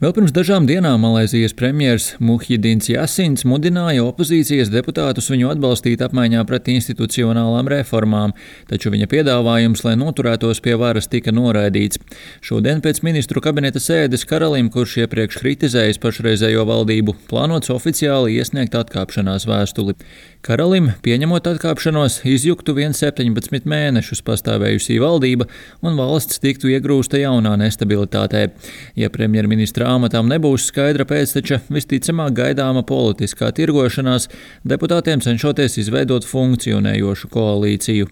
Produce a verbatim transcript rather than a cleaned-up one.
Vēl pirms dažām dienām Malaizijas premjers Muhjidins Jasins mudināja opozīcijas deputātus viņu atbalstīt apmaiņā pret institucionālām reformām, taču viņa piedāvājums, lai noturētos pie varas, tika noraidīts. Šodien pēc ministru kabineta sēdes Karalim, kurš iepriekš kritizējis pašreizējo valdību, plānots oficiāli iesniegt atkāpšanās vēstuli. Karalim, pieņemot atkāpšanos, izjuktu vien septiņpadsmit mēnešus pastāvējusī valdība un valsts tiktu iegrūsta jaunā nestabilitātē. Ja premjerministra amatām nebūs skaidra pēcteča, visticamāk gaidāma politiskā tirgošanās, deputātiem cenšoties izveidot funkcionējošu koalīciju.